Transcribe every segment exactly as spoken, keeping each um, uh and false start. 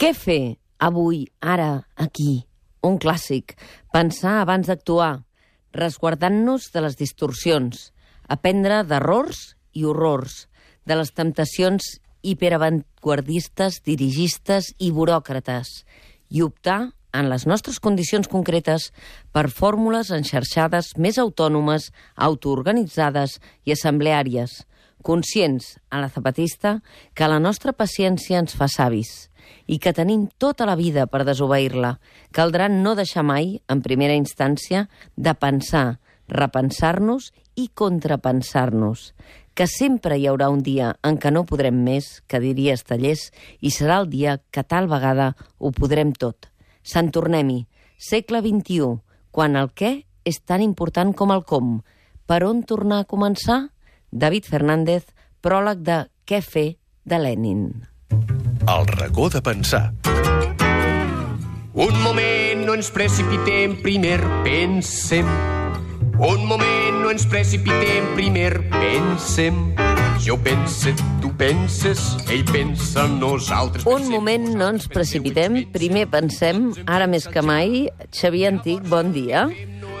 Què fer avui, ara, aquí? Un clàssic. Pensar abans d'actuar, resguardant-nos de les distorsions, aprendre d'errors i horrors, de les temptacions hiperavantguardistes, dirigistes i buròcrates, i optar, en les nostres condicions concretes, per fórmules enxarxades més autònomes, autoorganitzades i assembleàries, conscients, a la zapatista, que la nostra paciència ens fa savis i que tenim tota la vida per desobeir-la. Caldrà no deixar mai, en primera instància, de pensar, repensar-nos i contrapensar-nos, que sempre hi haurà un dia en què no podrem més, que diria Estallés, i serà el dia que tal vegada ho podrem tot. Sant Tornem-hi, segle vint-i-u, quan el què és tan important com el com. Per on tornar a començar? David Fernández, pròleg de Què fer, de Lenin. El racó de pensar. Un moment, no ens precipitem, primer pensem. Un moment, no ens precipitem, primer pensem. Jo pense, tu penses, ell pensa, nosaltres pensem. Un moment, no ens precipitem, primer pensem, ara més que mai. Xavier Antic, bon dia.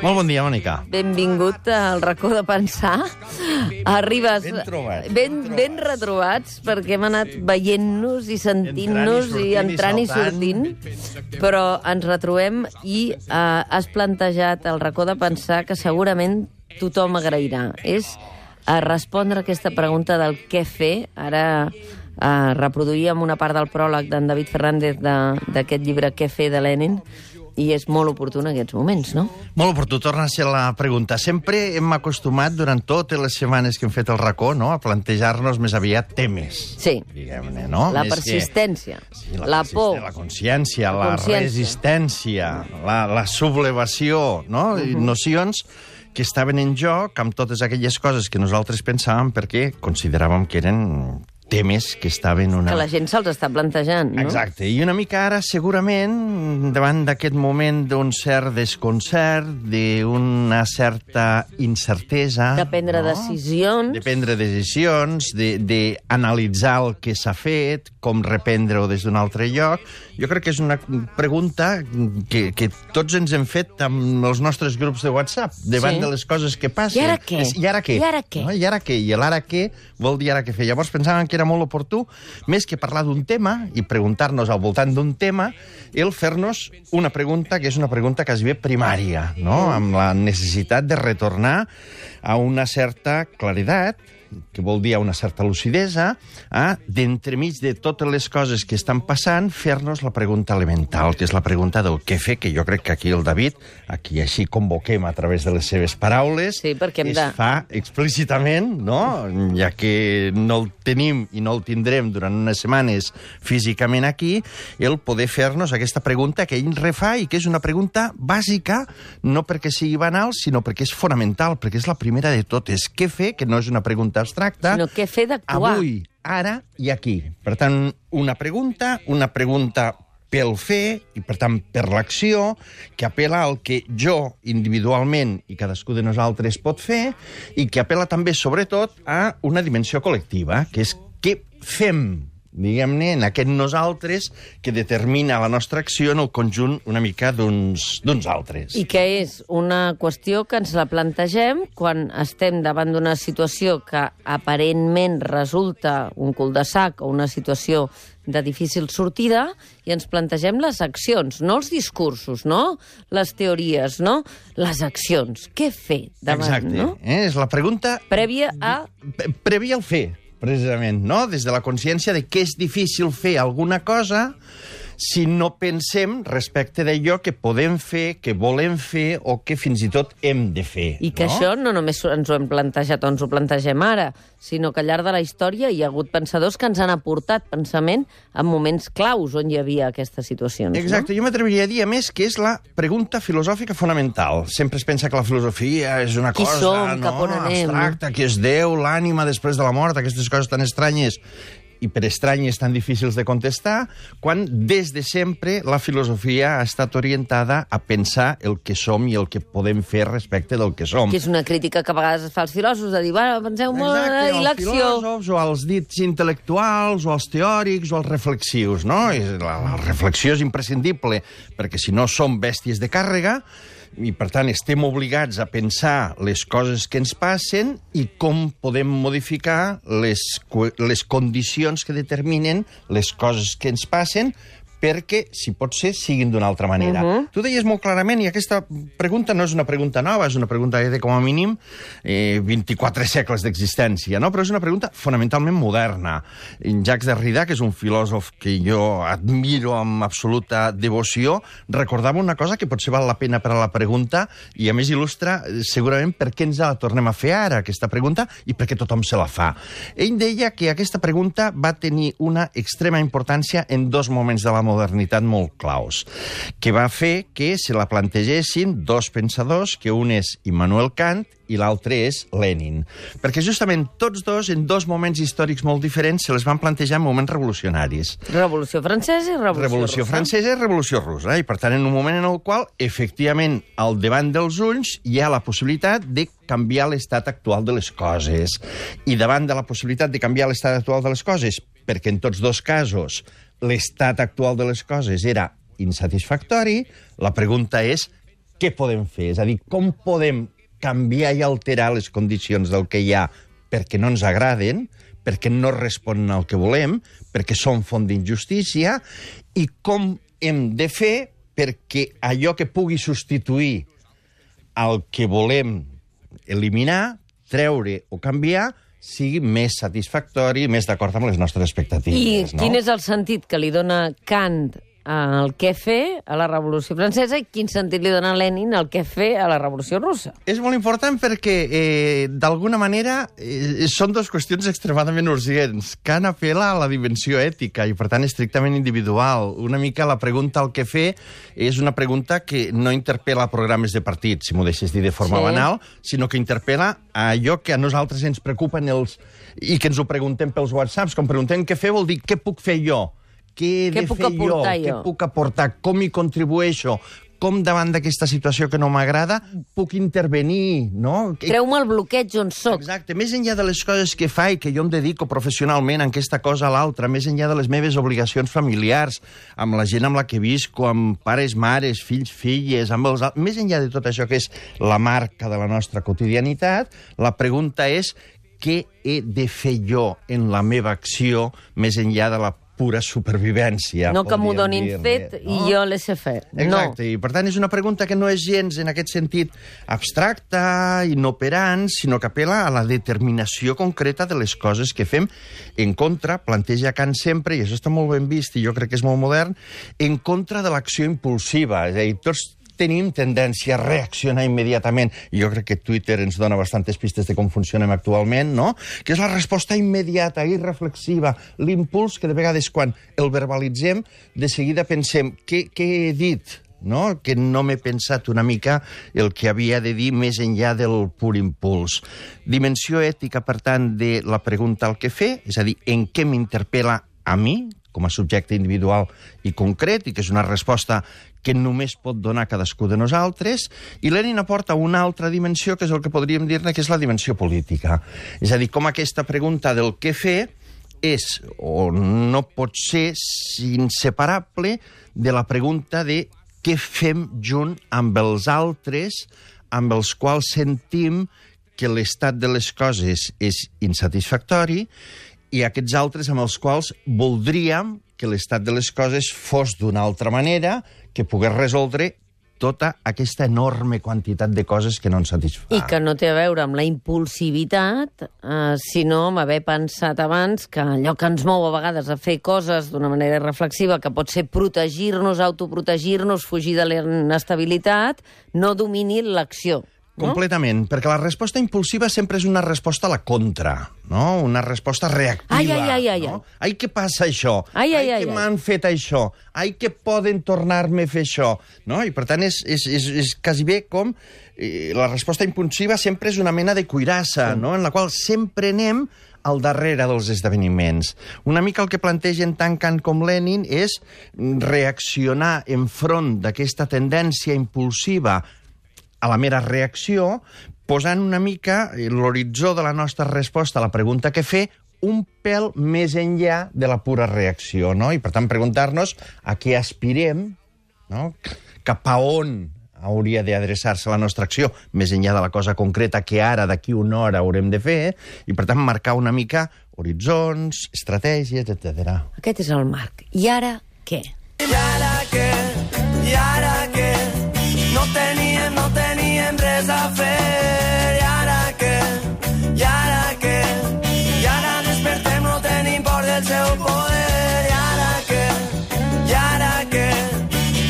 Molt bon dia, Mònica. Benvingut al racó de pensar. Arribes Ben trobat. ben, ben retrobats, perquè hem anat veient-nos i sentint-nos i entrant i sortint, però ens retrobem i eh, has plantejat el racó de pensar que segurament tothom agrairà. És a respondre a aquesta pregunta del què fer. Ara eh, reproduïem una part del pròleg d'en David Fernández d'aquest llibre Què fer, de Lenin, i és molt oportú en aquests moments, no? Molt oportú, torna a ser la pregunta. Sempre hem acostumat, durant totes les setmanes que hem fet el racó, no?, a plantejar-nos més aviat temes. Sí. Diguem-ne, no? La Més persistència, que... sí, la, la persisten- por, la consciència, la la, consciència. resistència, la, la sublevació, no? Uh -huh. Nocions que estaven en joc amb totes aquelles coses que nosaltres pensàvem perquè consideràvem que eren temes que estaven una... que la gent se'ls està plantejant, no? Exacte, i una mica ara, segurament, davant d'aquest moment d'un cert desconcert, d'una certa incertesa... De prendre no? decisions. De prendre decisions, d'analitzar el que s'ha fet, com reprendre-ho des d'un altre lloc. Jo crec que és una pregunta que, que tots ens hem fet amb els nostres grups de WhatsApp, davant Sí. de les coses que passen. I ara què? És, I ara què? I ara què? No? I ara què? I l'ara què vol dir ara què fer. Llavors pensàvem que era molt oportú, més que parlar d'un tema i preguntar-nos al voltant d'un tema, el fer-nos una pregunta que és una pregunta quasi primària, no? Amb la necessitat de retornar a una certa claredat, que vol dir a una certa lucidesa, a, d'entremig de totes les coses que estan passant, fer-nos la pregunta elemental, que és la pregunta del què fer, que jo crec que aquí el David, aquí així convoquem a través de les seves paraules, Sí, perquè hem es de- fa explícitament, no?, ja que no el tenim i no el tindrem durant unes setmanes físicament aquí, el poder fer-nos aquesta pregunta que ell refà i que és una pregunta bàsica, no perquè sigui banal, sinó perquè és fonamental, perquè és la primera de totes. Què fer, que no és una pregunta abstracta, Sinó què fer d'actuar. avui, ara i aquí. Per tant, una pregunta, una pregunta pel fer i, per tant, per l'acció, que apela al que jo individualment i cadascú de nosaltres pot fer i que apela també, sobretot, a una dimensió col·lectiva, que és què fem, diguem-ne, en aquest nosaltres que determina la nostra acció en el conjunt una mica d'uns d'uns altres. I que és una qüestió que ens la plantegem quan estem davant d'una situació que aparentment resulta un cul-de-sac o una situació de difícil sortida i ens plantegem les accions, no els discursos, no les teories, no les accions. Què fer davant, Exacte. no? Eh? És la pregunta Prèvia a... P- prèvia al fer, precisament, no? Des de la consciència de que és difícil fer alguna cosa si no pensem respecte d'allò que podem fer, que volem fer o que fins i tot hem de fer. I que no? això no només ens ho hem plantejat o ens ho plantegem ara, sinó que al llarg de la història hi ha hagut pensadors que ens han aportat pensament en moments claus on hi havia aquestes situacions. Exacte, jo m'atreviria a dir, a més, que és la pregunta filosòfica fonamental. Sempre es pensa que la filosofia és una Qui cosa som, no, cap on anem, abstracta, que és Déu, l'ànima després de la mort, aquestes coses tan estranyes. i per estranyes tan difícils de contestar, quan des de sempre la filosofia ha estat orientada a pensar el que som i el que podem fer respecte del que som. Que és una crítica que a vegades es fa als filòsofs, de dir, bueno, penseu molt Exacte, i l'acció. als filòsofs, o als dits intel·lectuals, o als teòrics, o als reflexius, no? La, la reflexió és imprescindible, perquè si no som bèsties de càrrega, i, per tant, estem obligats a pensar les coses que ens passen i com podem modificar les, les condicions que determinen les coses que ens passen perquè, si pot ser, siguin d'una altra manera. Uh-huh. Tu deies molt clarament, i aquesta pregunta no és una pregunta nova, és una pregunta que té com a mínim eh, vint-i-quatre segles d'existència, no? Però és una pregunta fonamentalment moderna. En Jacques Derrida, que és un filòsof que jo admiro amb absoluta devoció, recordava una cosa que potser val la pena per a la pregunta i, a més, il·lustra segurament per què ens la tornem a fer ara, aquesta pregunta, i per què tothom se la fa. Ell deia que aquesta pregunta va tenir una extrema importància en dos moments de la modernitat molt claus, que va fer que se la plantegessin dos pensadors, que un és Immanuel Kant i l'altre és Lenin. Perquè justament tots dos, en dos moments històrics molt diferents, se les van plantejar en moments revolucionaris. Revolució francesa i revolució, revolució russa. francesa i revolució russa. I, per tant, en un moment en el qual, efectivament, al davant dels ulls hi ha la possibilitat de canviar l'estat actual de les coses. I davant de la possibilitat de canviar l'estat actual de les coses, perquè en tots dos casos l'estat actual de les coses era insatisfactori, la pregunta és què podem fer? És a dir, com podem canviar i alterar les condicions del que hi ha perquè no ens agraden, perquè no responen al que volem, perquè són font d'injustícia, i com hem de fer perquè allò que pugui substituir el que volem eliminar, treure o canviar, sigui més satisfactori, més d'acord amb les nostres expectatives. I quin és el sentit que li dona Kant al què fer a la Revolució Francesa i quin sentit li dona Lenin al què fer a la Revolució Russa? És molt important perquè, eh, d'alguna manera, eh, són dues qüestions extremadament urgents. Kant apel·la a la dimensió ètica i, per tant, estrictament individual. Una mica la pregunta al què fer és una pregunta que no interpel·la programes de partit, si m'ho deixes dir de forma sí. banal, sinó que interpel·la a allò que a nosaltres ens preocupen els... i que ens ho preguntem pels whatsapps. Com preguntem què fer vol dir què puc fer jo? Què he de fer jo? jo? Què puc aportar? Com hi contribueixo? Com davant d'aquesta situació que no m'agrada puc intervenir, no? Treu-me el bloqueig on soc. Exacte. Més enllà de les coses que fa i que jo em dedico professionalment en aquesta cosa a l'altra, més enllà de les meves obligacions familiars, amb la gent amb la que visco, amb pares, mares, fills, filles, amb els... més enllà de tot això que és la marca de la nostra quotidianitat, la pregunta és què he de fer jo en la meva acció més enllà de la pura supervivència. No que m'ho donin fet no? i jo l'he fer. Exacte, no. i per tant és una pregunta que no és gens en aquest sentit abstracta, inoperant, sinó que apel·la a la determinació concreta de les coses que fem en contra, planteja Kant sempre, i això està molt ben vist i jo crec que és molt modern, en contra de l'acció impulsiva. És a dir, tots tenim tendència a reaccionar immediatament, i jo crec que Twitter ens dona bastantes pistes de com funcionem actualment, no? Que és la resposta immediata, irreflexiva, l'impuls que de vegades quan el verbalitzem, de seguida pensem què, què he dit, no? Que no m'he pensat una mica el que havia de dir més enllà del pur impuls. Dimensió ètica, per tant, de la pregunta al què fer, és a dir, en què m'interpel·la a mi, com a subjecte individual i concret, i que és una resposta que només pot donar cadascú de nosaltres, i Lenin aporta una altra dimensió, que és el que podríem dir-ne que és la dimensió política. És a dir, com aquesta pregunta del què fer és, o no pot ser, inseparable de la pregunta de què fem junt amb els altres, amb els quals sentim que l'estat de les coses és insatisfactori, i aquests altres amb els quals voldríem que l'estat de les coses fos d'una altra manera, que pogués resoldre tota aquesta enorme quantitat de coses que no ens satisfà. I que no té a veure amb la impulsivitat, eh, sinó amb haver pensat abans que allò que ens mou a vegades a fer coses d'una manera reflexiva, que pot ser protegir-nos, autoprotegir-nos, fugir de l'inestabilitat, no domini l'acció. no? Completament, perquè la resposta impulsiva sempre és una resposta a la contra, no? Una resposta reactiva. Ai, ai, ai, ai, no? Ai, què passa això? Ai, ai, ai, que ai. m'han fet això? Ai, que poden tornar-me a fer això? No? I per tant és, és, és, és quasi bé com eh, la resposta impulsiva sempre és una mena de cuirassa, no? En la qual sempre anem al darrere dels esdeveniments. Una mica el que plantegen tant Kant com Lenin és reaccionar enfront d'aquesta tendència impulsiva a la mera reacció, posant una mica l'horitzó de la nostra resposta a la pregunta que fer un pèl més enllà de la pura reacció, no? I, per tant, preguntar-nos a què aspirem, no? Cap a on hauria d'adreçar-se la nostra acció, més enllà de la cosa concreta que ara, d'aquí una hora, haurem de fer, i, per tant, marcar una mica horitzons, estratègies, etcètera. Aquest és el marc. I ara què? I ara què? I ara què? No teníem, no teníem res a fer. I ara què? I ara què? I ara despertem, no tenim por del seu poder. I ara què? I ara què?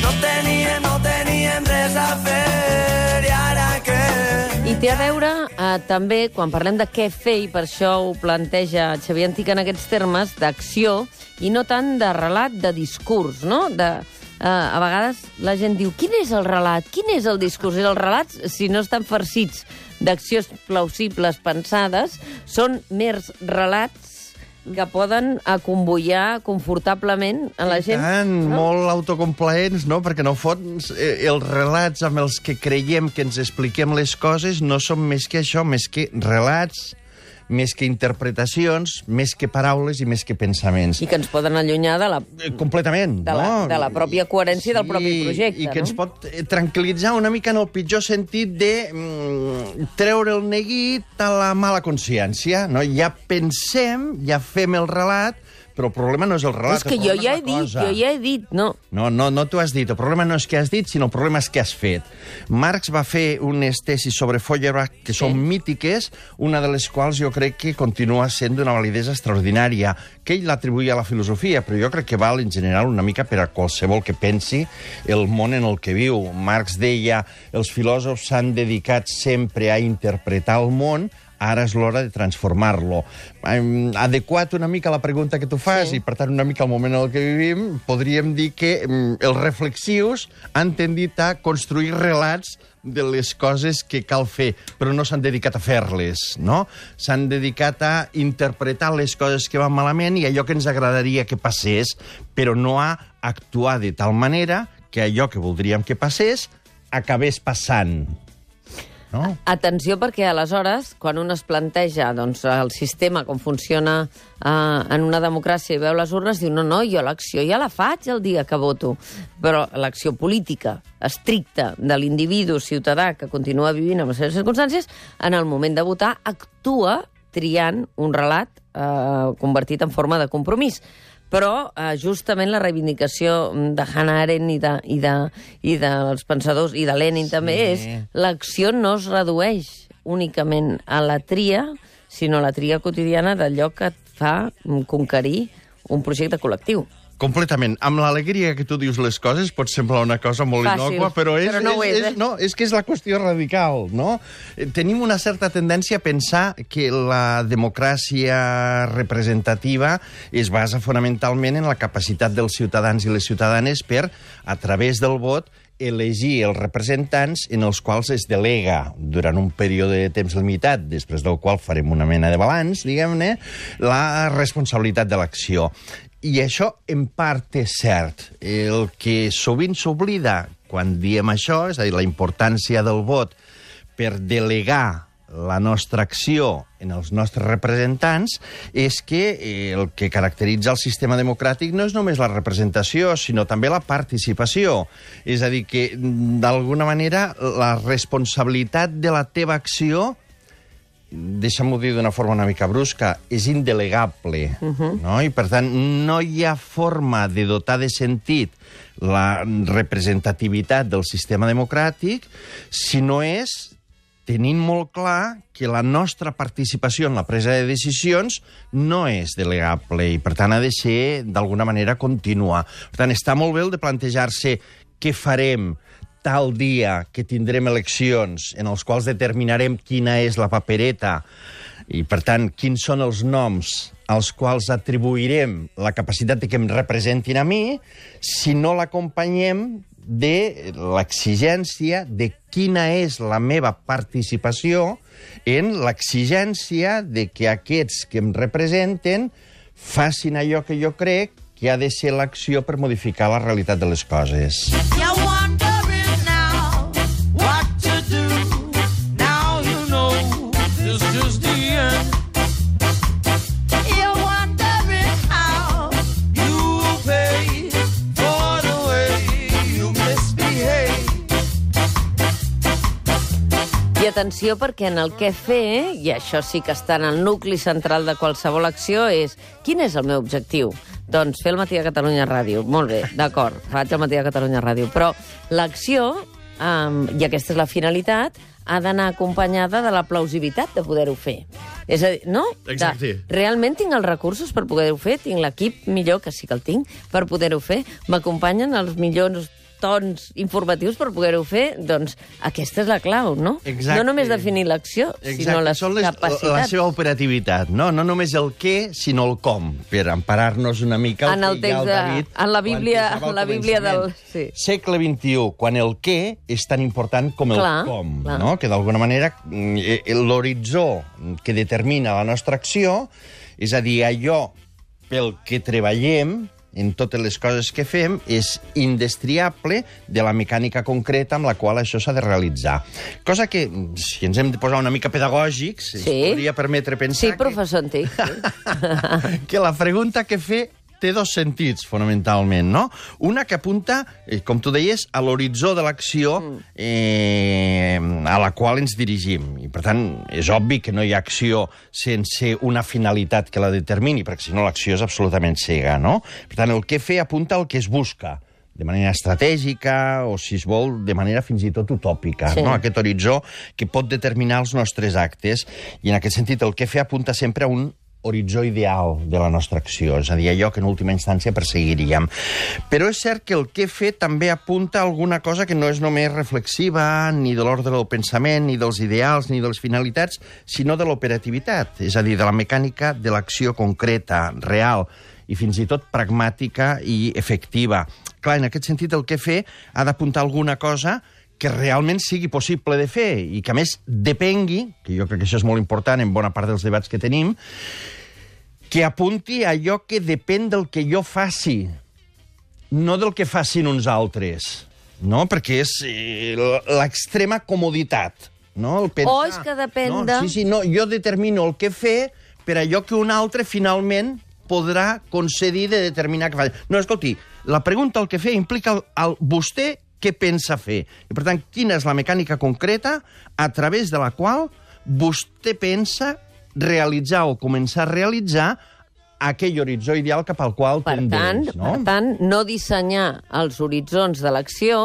No teníem, no teníem res a fer. I ara què? I té a veure eh, també, quan parlem de què fer, i per això ho planteja Xavier Antich en aquests termes, d'acció, i no tant de relat, de discurs, no? De, eh, a vegades la gent diu, quin és el relat? Quin és el discurs? I els relats, si no estan farcits d'accions plausibles pensades, són mers relats que poden acomboiar confortablement a la gent. I tant, no? molt autocomplaents, no? Perquè, no fons, eh, els relats amb els que creiem que ens expliquem les coses no són més que això, més que relats, més que interpretacions, més que paraules i més que pensaments. I que ens poden allunyar de la, Eh, Completament, de la, no? de la pròpia coherència del propi projecte. I que no? ens pot eh, tranquil·litzar una mica en el pitjor sentit de mm, treure el neguit a la mala consciència, no? Ja pensem, ja fem el relat, però el problema no és el relat. És que el jo problema ja és he la dit, cosa. jo ja he dit, no. No, no, no t'ho has dit. El problema no és què has dit, sinó el problema és què has fet. Marx va fer unes tesis sobre Feuerbach que Sí. són mítiques, una de les quals jo crec que continua sent d'una validesa extraordinària, que ell l'atribuïa a la filosofia, però jo crec que val en general una mica per a qualsevol que pensi el món en el que viu. Marx deia, els filòsofs s'han dedicat sempre a interpretar el món, ara és l'hora de transformar-lo. Um, adequat una mica a la pregunta que tu fas, Sí. i per tant una mica al moment en el que vivim, podríem dir que um, els reflexius han tendit a construir relats de les coses que cal fer, però no s'han dedicat a fer-les, no? S'han dedicat a interpretar les coses que van malament i allò que ens agradaria que passés, però no a actuar de tal manera que allò que voldríem que passés acabés passant. No? Atenció, perquè aleshores, quan un es planteja doncs, el sistema, com funciona eh, en una democràcia i veu les urnes, diu, no, no, jo l'acció ja la faig el dia que voto. Però l'acció política estricta de l'individu ciutadà que continua vivint en les seves circumstàncies, en el moment de votar, actua triant un relat eh, convertit en forma de compromís. Però eh, justament la reivindicació de Hannah Arendt i, de, i, de, i dels pensadors, i de Lenin sí. també, és l'acció no es redueix únicament a la tria, sinó a la tria quotidiana d'allò que et fa conquerir un projecte col·lectiu. Completament. Amb l'alegria que tu dius les coses pot semblar una cosa molt Fàcil, innòcua, però, és, però no ho és, és, eh? no, és que és la qüestió radical, no? Tenim una certa tendència a pensar que la democràcia representativa es basa fonamentalment en la capacitat dels ciutadans i les ciutadanes per, a través del vot, elegir els representants en els quals es delega durant un període de temps limitat, després del qual farem una mena de balanç, diguem-ne, la responsabilitat de l'acció. I això, en part, és cert. El que sovint s'oblida quan diem això, és a dir, la importància del vot per delegar la nostra acció en els nostres representants, és que el que caracteritza el sistema democràtic no és només la representació, sinó també la participació. És a dir, que, d'alguna manera, la responsabilitat de la teva acció, deixa'm-ho dir d'una forma una mica brusca, és indelegable. Uh-huh. No? I, per tant, no hi ha forma de dotar de sentit la representativitat del sistema democràtic si no és tenint molt clar que la nostra participació en la presa de decisions no és delegable i, per tant, ha de ser, d'alguna manera, contínua. Per tant, està molt bé el de plantejar-se què farem tal dia que tindrem eleccions en els quals determinarem quina és la papereta i, per tant, quins són els noms als quals atribuirem la capacitat de que em representin a mi, si no l'acompanyem de l'exigència de quina és la meva participació en l'exigència de que aquests que em representen facin allò que jo crec que ha de ser l'acció per modificar la realitat de les coses. I atenció, perquè en el què fer, i això sí que està en el nucli central de qualsevol acció, és quin és el meu objectiu? Doncs fer el Matí de Catalunya Ràdio. Molt bé, d'acord, faig el Matí de Catalunya Ràdio. Però l'acció, um, i aquesta és la finalitat, ha d'anar acompanyada de la plausibilitat de poder-ho fer. És a dir, no? Exacte. De, realment tinc els recursos per poder-ho fer? Tinc l'equip millor, que sí que el tinc, per poder-ho fer? M'acompanyen els millors tons informatius per poder-ho fer? Doncs aquesta és la clau, no? Exacte. No només definir l'acció, sinó les, les capacitats. La seva operativitat, no? No només el què, sinó el com, per emparar-nos una mica en el que ja el David... De, en la Bíblia, en la Bíblia del... Sí. Segle vint-i-u, quan el què és tan important com el clar, com, clar. no? Que d'alguna manera l'horitzó que determina la nostra acció, és a dir, allò pel que treballem, en totes les coses que fem, és indestriable de la mecànica concreta amb la qual això s'ha de realitzar. Cosa que, si ens hem de posar una mica pedagògics, sí. ens podria permetre pensar sí, professor antic, sí. que, que la pregunta que fer té dos sentits, fonamentalment, no? Una que apunta, eh, com tu deies, a l'horitzó de l'acció eh, a la qual ens dirigim. I, per tant, és obvi que no hi ha acció sense una finalitat que la determini, perquè si no l'acció és absolutament cega, no? Per tant, el què fer apunta al que es busca, de manera estratègica o, si es vol, de manera fins i tot utòpica, sí. no? Aquest horitzó que pot determinar els nostres actes. I, en aquest sentit, el què fer apunta sempre a un horitzó ideal de la nostra acció, és a dir, allò que en última instància perseguiríem. Però és cert que el què fer també apunta a alguna cosa que no és només reflexiva, ni de l'ordre del pensament, ni dels ideals, ni de les finalitats, sinó de l'operativitat, és a dir, de la mecànica de l'acció concreta, real, i fins i tot pragmàtica i efectiva. Clar, en aquest sentit, el què fer ha d'apuntar alguna cosa que realment sigui possible de fer i que, a més, depengui, que jo crec que això és molt important en bona part dels debats que tenim, que apunti a allò que depèn del que jo faci, no del que facin uns altres, no? Perquè és eh, l'extrema comoditat, no? El pensar, o és que depèn no? de... Sí, sí, no, jo determino el que fer per allò que un altre finalment podrà concedir de determinar que fa. No, escolti, la pregunta al que fer implica el, el vostè què pensa fer. I, per tant, quina és la mecànica concreta a través de la qual vostè pensa realitzar o començar a realitzar aquell horitzó ideal cap al qual per tendeix, tant, no? Per tant, no dissenyar els horitzons de l'acció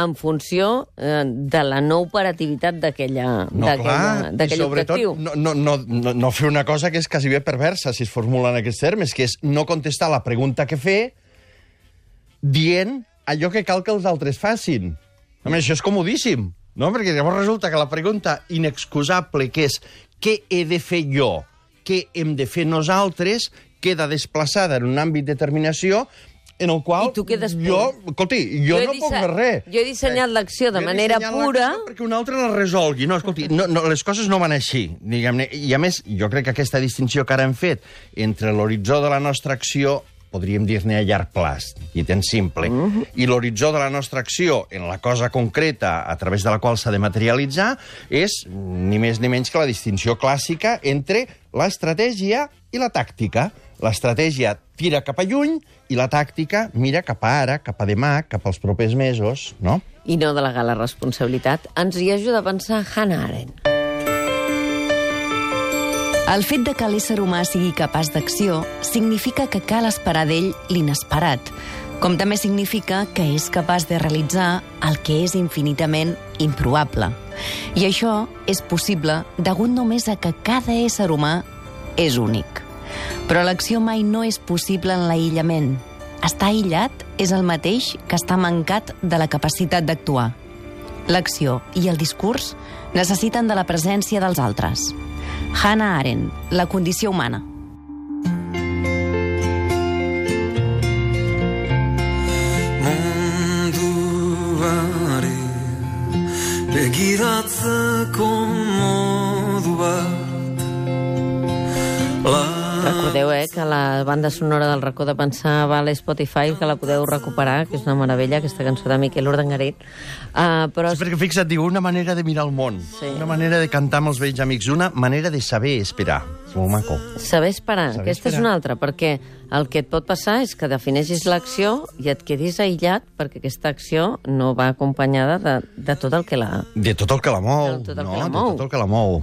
en funció eh, de la no operativitat d'aquella No, clar, i sobretot objectiu. no, no, no, no, no fer una cosa que és quasi bé perversa, si es formula en aquests termes, que és no contestar la pregunta que fer dient allò que cal que els altres facin. Home, això és comodíssim, no? Perquè llavors resulta que la pregunta inexcusable, que és què he de fer jo, què hem de fer nosaltres, queda desplaçada en un àmbit de determinació en el qual I tu quedes jo, escolti, jo, jo no puc fer res. Jo he dissenyat l'acció de Jo he manera dissenyat pura... l'acció perquè un altre la resolgui. No, escolti, no, no, les coses no van així, diguem-ne. I, a més, jo crec que aquesta distinció que ara hem fet entre l'horitzó de la nostra acció, podríem dir-ne a llarg plaç, i tan simple, uh-huh. i l'horitzó de la nostra acció en la cosa concreta a través de la qual s'ha de materialitzar és ni més ni menys que la distinció clàssica entre l'estratègia i la tàctica. L'estratègia tira cap a lluny i la tàctica mira cap a ara, cap a demà, cap als propers mesos, no? I no delegar la responsabilitat. Ens hi ajuda a pensar Hannah Arendt. El fet de que l'ésser humà sigui capaç d'acció significa que cal esperar d'ell l'inesperat, com també significa que és capaç de realitzar el que és infinitament improbable. I això és possible degut només a que cada ésser humà és únic. Però l'acció mai no és possible en l'aïllament. estar aïllat és el mateix que estar mancat de la capacitat d'actuar. L'acció i el discurs necessiten de la presència dels altres. Hannah Arendt, La condició humana. Munduari begiratzeko modu bat. Recordeu, eh, que la banda sonora del Racó de Pensar va a l'Spotify, que la podeu recuperar, que és una meravella, aquesta cançó de Miquel Urdangarín. Uh, però... Sí, perquè fixa't, diu, una manera de mirar el món, Sí. una manera de cantar amb els vells amics, una manera de saber esperar. És molt maco. Saber esperar, Saber aquesta esperar. és una altra, perquè el que et pot passar és que defineixis l'acció i et quedis aïllat perquè aquesta acció no va acompanyada de, de tot el que la... De tot el que la mou, De tot el no? que la De mou. tot el que la mou.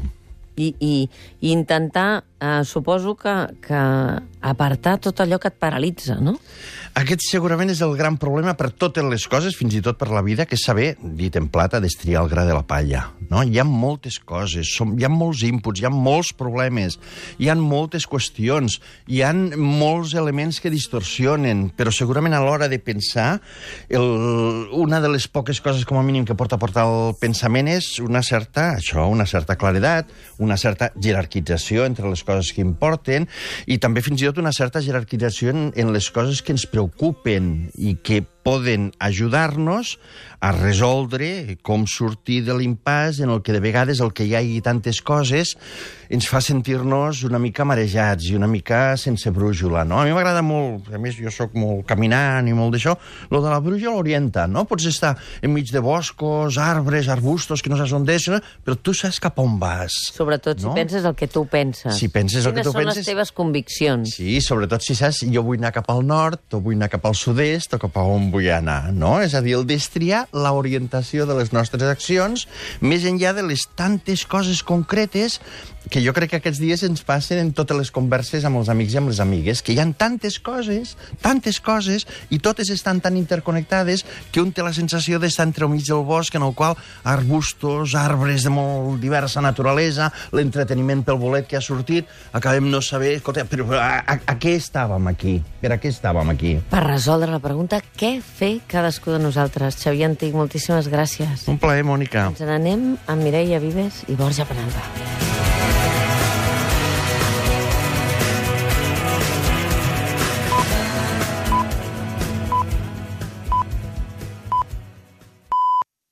I, i, i intentar, eh, suposo que, que apartar tot allò que et paralitza, no? Aquest segurament és el gran problema per totes les coses, fins i tot per la vida, que és saber, dit en plata, destriar el gra de la palla. No? Hi ha moltes coses, som, hi ha molts inputs, hi ha molts problemes, hi ha moltes qüestions, hi ha molts elements que distorsionen, però segurament a l'hora de pensar, el, una de les poques coses, com a mínim, que porta a portar el pensament és una certa, això, una certa claredat, una certa jerarquització entre les coses que importen i també fins i tot una certa jerarquització en, en les coses que ens preocupen i que poden ajudar-nos a resoldre com sortir de l'impàs en el que de vegades el que hi hagi tantes coses ens fa sentir-nos una mica marejats i una mica sense brújula, no? A mi m'agrada molt, a més jo sóc molt caminant i molt d'això, lo de la brújula orienta, no? Pots estar enmig de boscos, arbres, arbustos, que no saps on és, però tu saps cap on vas. Sobretot si No? penses el que tu penses. Si penses el que Quines tu són penses- les teves conviccions? Sí, sobretot si saps, jo vull anar cap al nord, o vull anar cap al sud-est, o cap a on vull anar, no? És a dir, el destriar l'orientació de les nostres accions, més enllà de les tantes coses concretes que jo crec que aquests dies ens passen en totes les converses amb els amics i amb les amigues, que hi ha tantes coses, tantes coses, i totes estan tan interconnectades que un té la sensació d'estar entremig del bosc en el qual arbustos, arbres de molt diversa naturalesa, l'entreteniment pel bolet que ha sortit, acabem no saber, escolta, però a, a, a què estàvem aquí? Per a què estàvem aquí? Per resoldre la pregunta, què fer cadascú de nosaltres? Xavier Antic, moltíssimes gràcies. Un plaer, Mònica. Ens n'anem amb Mireia Vives i Borja Penalba.